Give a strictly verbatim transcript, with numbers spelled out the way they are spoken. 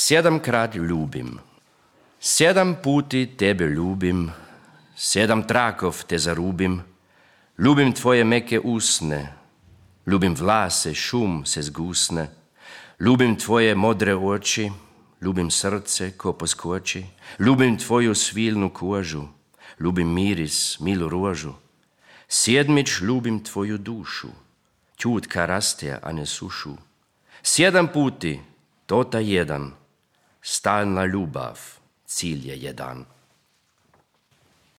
Sedamkrat ljubim, sedam puti tebe ljubim, sedam trakov te zarubim, ljubim tvoje meke usne, ljubim vlase, šum se zgusne, ljubim tvoje modre oči, ljubim srce, ko poskoči, ljubim tvoju svilnu kožu, ljubim miris, milu rožu. Sedmič ljubim tvoju dušu, čutka raste, a ne sušu. Sedam puti, to ta jedan, stalna ljubav, cilj je jedan.